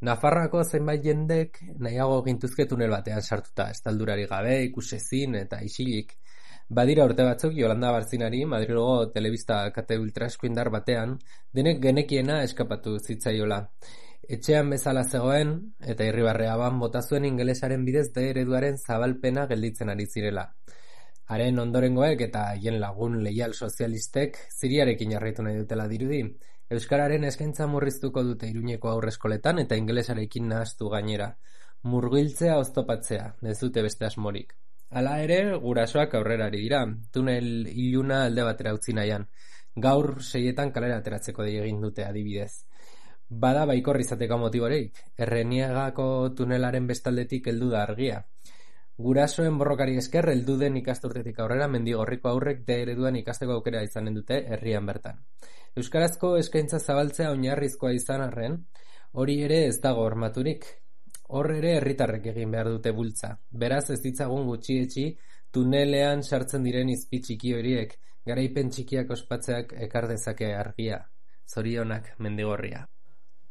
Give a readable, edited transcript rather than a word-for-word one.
Nafarroako zenbait jendek nahiago gintuzke tunel batean sartuta, estaldurarik gabe, ikusezin eta isilik. Badira urte batzuk Yolanda Barzinari Madrilgo telebista kate ultraeskuindar batean denek genekiena eskapatu zitzaiola. Etxean bezala zegoen eta irribarreaban bota zuen ingelesaren bidez D ereduaren zabalpena gelditzen ari zirela. Haren ondorengoek eta haien lagun leial sozialistek ziriarekin jarraitu nahi dutela dirudi. Euskararen eskaintza murriztuko dute Iruñeko aurreskoletan eta ingelesarekin nahastu gainera. Murgiltzea oztopatzea, ez dute beste asmorik. Hala ere, gurasoak aurrera ari dira, tunel iluna alde batera utzi nahian. Gaur 6etan kalera ateratzeko dei egin dute adibidez. Bada baikor izateko motiborik, Erreniegako tunelaren bestaldetik heldu da argia. Gurasoen borrokari esker heldu den ikasturtetik aurrera Mendigorriko aurrek D ereduan ikasteko aukera izanen dute herrian bertan. Euskarazko eskaintza zabaltzea oinarrizkoa izan arren, hori ere ez dago hormaturik. Hor ere herritarrek egin behar dute bultza. Beraz ez ditzagun gutxietxi tunelean sartzen diren izpi txiki horiek, garaipen txikiak ospatzeak ekar dezake argia. Zorionak Mendigorria.